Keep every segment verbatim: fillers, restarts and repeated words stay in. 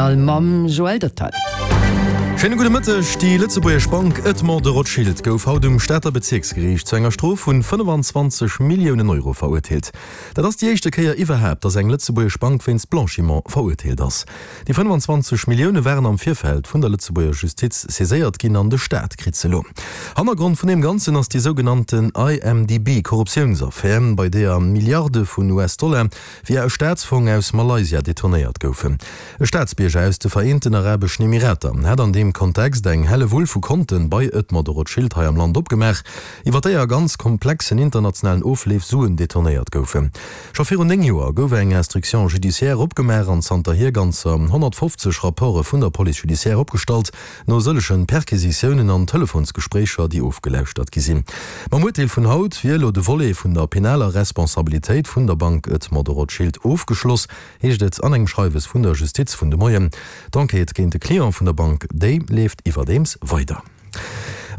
Journal mam Joël Dottal. Schéine gudde Mëtteg. Déi lëtzebuergesch Bank Edmond de Rothschild gouf haut um Stater Bezierksgeriicht zu enger Strof vun fënnefenzwanzeg Milliounen Euro verurteelt. Dat ass déi éischte Kéier iwwerhaapt, datt eng lëtzebuergesch Bank wéinst Blanchiment verurteelt ass. Déi fënnefenzwanzeg Millioune waren am Virfeld vun der Lëtzebuerger Justiz saiséiert ginn an de Staat kritt se elo. Hannergrond vun deem Ganzen ass déi sougenannten I M D B Korruptiounsaffär, bei deeër Milliarde vun U S-Dollar via e Staatsfong aus Malaysia detournéiert goufen. E Staatsbierger aus de Vereenten Arabeschen Emirater hat an deem Kontext eng Hellewull vu Konten bei Edmond de Rothschild hei am Land opgemaach, iwwer déi a ganz komplexen internationalen Ofleef Suen detournéiert goufen. Scho virun néng Joer gouf eng Instruction judiciaire opgemaach an zanterhier ganzer honnertfofzeg Rapporte vun der Police judiciaire opgestallt, no sëllege Perquisitiounen an Telefonsgespréicher, déi ofgelauschtert gi sinn. Mam Urteel vun haut wier elo de Volet vun der penaler Responsabilitéit vun der Bank Edmond de Rothschild ofgeschloss, heescht et an engem Schreiwes vun der Justiz vun de Moien. D'Enquête géint de Client vun der Bank, déi leeft iwwerdeems weider.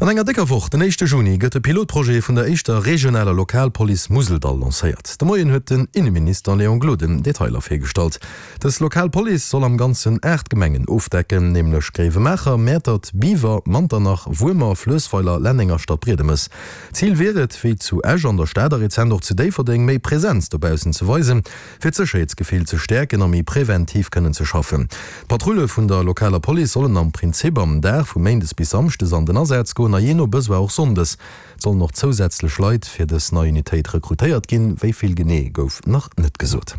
An enger décker Woch, den éischte Juni, gëtt de Pilotprojet vun der éischter regionaler Lokalpolice Museldall lancéiert. De Moien huet den Inneminister Léon Gloden Detailer virgestallt. Dës Lokalpolice soll am Ganzen aacht Gemengen ofdecken, nämlech Gréiwemaacher, Mäertert, Biwer, Manternach, Wuermer, Fluessweiler, Lenneng a Stadbriedemes. Zil wier et, wéi zu Esch an der Stad a rezent och zu Déifferdeng, méi Presenz dobaussen ze weisen, fir d'Sécherheetsgefill ze stäerken a méi preventiv kënnen ze schaffen. D'Patrulle vun der lokaler Police sollen am Prinzip am Dag vu méindes bis samschdes an den Asaz goen a jee no Besoin och sonndes. Et sollen och zousätzlech Leit fir dës nei Unitéit rekrutéiert ginn, wéi vill genee gouf nach net gesot.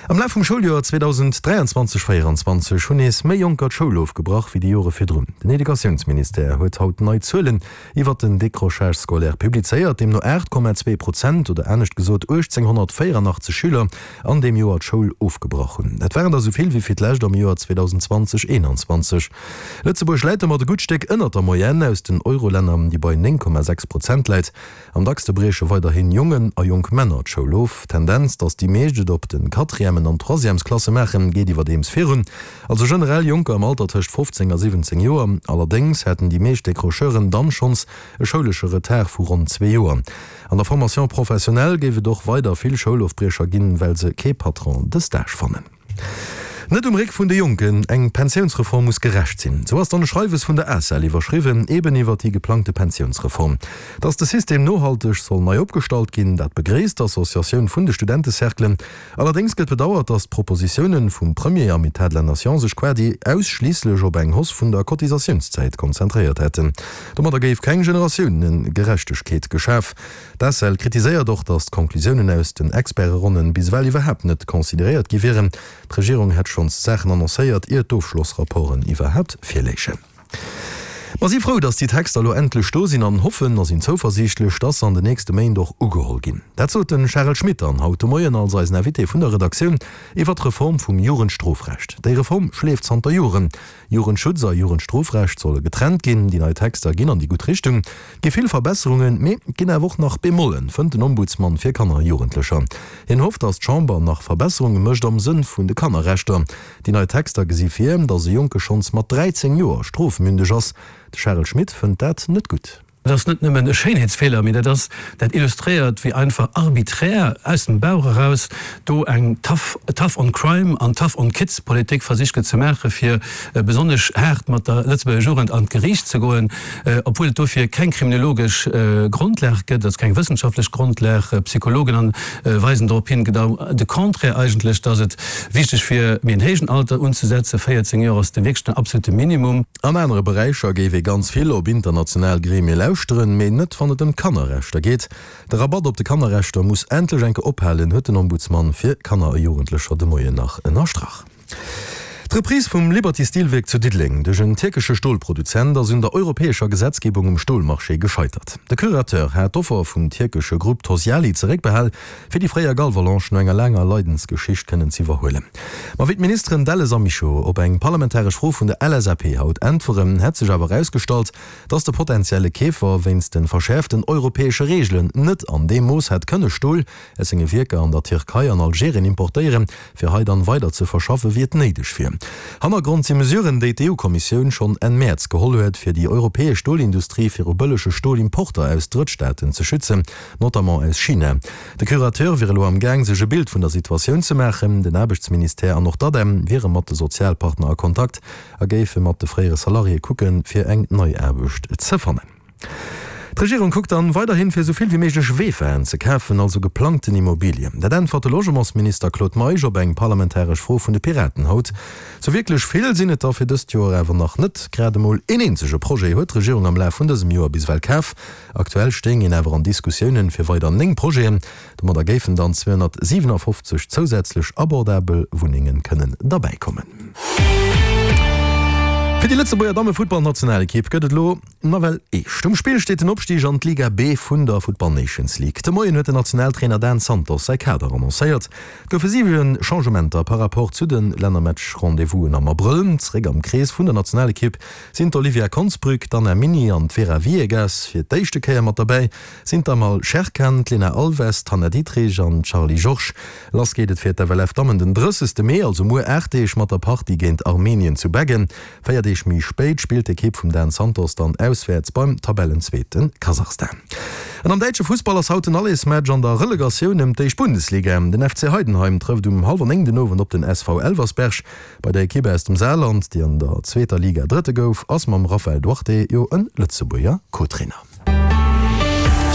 Am Laf vum Schouljoer zweedausend dräianzwanzeg véieranzwanzeg hunn nees méi Jonker d'Schoul ofgebrach wéi déi Jore virdrun. Den Educatiounsministère huet haut nei Zuelen iwwer den Décrochage scolaire publizéiert, deemno aacht Komma zwee Prozent oder anescht gesot uechtzénghonnertvéieranachtzeg Schüler an deem Joer d'Schoul ofgebrach hunn. Dat waren der esou vill wéi fir d'lescht am Joer zweedausend zwanzeg eenanzwanzeg. Lëtzebuerg läit domat e gutt Stéck ënnert der Moyenne aus den Eurolänner, déi bei néng Komma sechs Prozent läit. Am dackste brieche weiderhin Jongen a jonk Männer d'Schoul of. D'Tendenz, datt déi meescht et op de Quatrièmen an Troisièmesklasse maachen, geet iwwerdeems virun. Also generell Jonker am Alter tëscht fofzéng a siwwenzéng Joer. Allerdéngs hätten déi meescht Décrocheuren dann schonns e schoulesche Retard vu ronn zwee Joer. An der Formation professionnelle géif et och weider vill Schoulofbriecher ginn, well se kee Patron de stage fannen. Net um Réck vun de Jonken, eng Pensiounsreform muss gerecht sinn. Sou ass dann e Schreiwes vun der ACEL iwwerschriwwen, eben iwwer déi geplangte Pensiounsreform. Datt de System nohalteg soll nei opgestallt ginn, dat begréisst d'Associatioun vun de Studentecerclen. Allerdéngs gëtt bedauert, datt d'Propositiounen vum Premier am État de la Nation sech quasi ausschliisslech op eng Hausse vun der Cotisatiounszäit konzentréiert hätten. Domadder géif keng Generatiounegerechtegkeet geschaf. D'ACEL kritiséiert och, datt d'Konklusiounen aus den Experteronnen bis ewell iwwerhaapt net consideréiert gi wieren. D'Regierung hätt schonns Saachen annoncéiert, ier d'Ofschlossrapporten iwwerhaapt virléichen. Mer si frou, datt déi Texter elo endlech do sinn an hoffen a sinn zouversiichtlech, datt se an den nächste Méint och ugeholl ginn. Dat sot de Charel Schmit dann haut de Moien als eisen Invité vun der Redaktioun iwwer d'Reform vum Jugendstrofrecht. Déi Reform schleeft zanter Joren. Jugendschutz a Jugendstrofrecht solle getrennt ginn. Déi nei Texter ginn an déi gutt Richtung, gi vill Verbesserungen, mee et ginn awer och nach Bemollen, fënnt den Ombudsmann fir Kanner a Jugendlecher. Hien hofft, datt d'Chamber nach Verbesserunge mécht am Sënn vun de Kannerrechter. Déi nei Texter gesi vir, datt e Jonke schonns mat dräizéng Joer strofmündeg ass. De Charel Schmit fënnt dat net gutt. Dat ass net nëmmen e Schéinheetsfeeler, mee dat ass, dat illustréiert, wéi einfach arbiträr aus dem Bauch eraus do eng tough, tough on crime an tough on kids Politik versicht gëtt ze maachen, fir besonnesch haart mat der Lëtzebuerger Jugend an d'Geriicht ze goen, obwuel et dofir keng kriminologesch Grondlag gëtt, also keng wëssenschaftlech Grondlag. Psychologen an weisen dorop hin, genau de Contraire eigentlech, dass et wichteg wier, méi en héijen Alter unzesetzen, véierzéng Joer ass de wierklech den absolute Minimum. An anere Beräicher géif ee ganz vill op international Gremie lauschteren, mee net wann et ëm d'Kannerrechter geet. De Rabatt op de Kannerrechter muss endlech eng Kéier ophalen, huet den Ombudsmann fir Kanner a Jugendlecher de Moien nach ënnerstrach. D'Reprise vum Liberty Steel-Wierk zu Diddeleng duerch en tierkesche Stolproduzent ass un der europäescher Gesetzgebung um Stolmarché gescheitert. De Curateur hat d'Offer vum tierkesche Grupp Tosyali zeréckbehal, fir déi fréier Galvalange no enger laanger Leidensgeschicht kënnen z'iwwerhuelen. Ma wéi d'Ministeren Delles a Mischo op eng parlamentaresch Fro vun der L S A P haut äntweren, hätt sech awer erausgestallt, datt de potenzielle Keefer wéinst de verschäerften europäesche Reegelen net an deem Mooss hätt kënne Stol aus senge Wierker an der Tierkei an Algerien importéieren, fir hei dann weider ze verschaffen, wéi et néideg wier. Stolen. Hannergrond si Mesuren, déi d'EU-Kommissioun schonn Enn Mäerz geholl huet, fir déi europäesch Stolindustrie viru bëllege Stolimporter aus Drëttstaaten ze schützen, notamment aus China. De Curateur wier elo am Gaang, sech e Bild vun der Situatioun ze maachen. Den Aarbechtsministère an och d'ADEM wiere mat de Sozialpartner a Kontakt a géife mat de fréiere Salariéë kucken, fir eng nei Aarbecht ze fannen. D'Regierung kuckt dann weiderhin, fir esou vill wéi méiglech VEFAen ze kafen, also geplangten Immobilien. Dat äntwert de Logementsminister Claude Meisch op eng parlamentaresch Fro vun de Piraten haut. Sou wierklech vill sinn et der fir dëst Joer awer nach net. Grad emol een eenzege Projet huet d'Regierung am Laf vun dësem Joer bis ewell kaf. Aktuell stéing een awer an Diskussiounen fir weider néng Projeten. Domadder géifen dann zweehonnertsiwenafoffzeg zousätzlech abordabel Wunnengen kënnen derbäikommen. Fir déi Lëtzebuerger Dammefuttballnationalekipp gëtt et elo nawell eescht. Um Spill steet den Opstig an d'Liga B vun der Futtball Nations League. De Moien huet den Nationaltrainer Dan Santos säi Kader annoncéiert. Et goufe siwe Changementer par rapport zu de Lännermatch-Rendez-vousen am Abrëll. Zeréck am Krees vun der Nationalekipp sinn d'Olivia Konsbrück, d'Anna Mini an d'Vera Viegas. Fir d'éischte Kéier mat derbäi sinn d'Amal Sherkhan, d'Lena Alves, d'Hannah Dietrich an d'Charlie Georges. Lass geet et fir d'FLF-Dammen den drëssegste Mee, also muer aacht Deeg, mat der Partie géint Armenien zu Beggen. Véier Deeg méi spéit spillt d'Ekipp vum Dan Santos dann auswäerts beim Tabellenzweete Kasachstan. An am däitsche Fussball ass haut den Allersmatch an der Relegatioun ëm d'éischt Bundesliga. Den F C Heidenheim trëfft um hallwer néng den Owend op den S V Elversberg. Bei der Ekipp aus dem Saarland, déi an der zweeter Liga Drëtte gouf, ass mam Raphael Duarte jo e Lëtzebuerger Co-Trainer.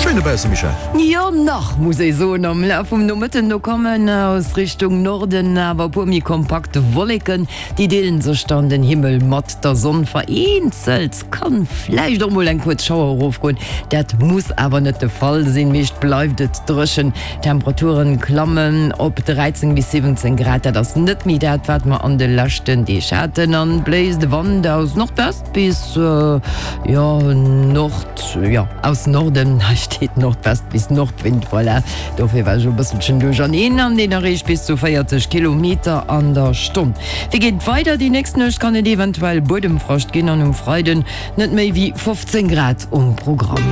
Schéin dobausse, Michèle. Jo, nach, muss ee soen. Am Laf vum Nomëtten do kommen aus Richtung Norden awer e puer méi kompakt Wolleken, déi deelen sech dann den Himmel mat der Sonn. Vereenzelt kann vläicht och mol eng kuerz Schauer erofgoen, dat muss awer net de Fall sinn. Meescht bleift et dréchen, d'Temperaturen klammen op dräizéng bis siwwenzéng Grad, dat ass net méi dat, wat mer an de leschten Deeg haten. An bléist de Wand aus Nordwest bis, jo, Nord, jo, aus Norden, hei steet Nordwest bis Nordwind, voilà, dofir war ech e bësselchen duercherneen, an deen erreecht bis zu véierzeg Kilometer an der Stonn. Wéi geet et weider? Déi nächst Nuecht kann et eventuell Buedemfrascht ginn an um Freiden net méi wéi fofzéng Grad um Programm.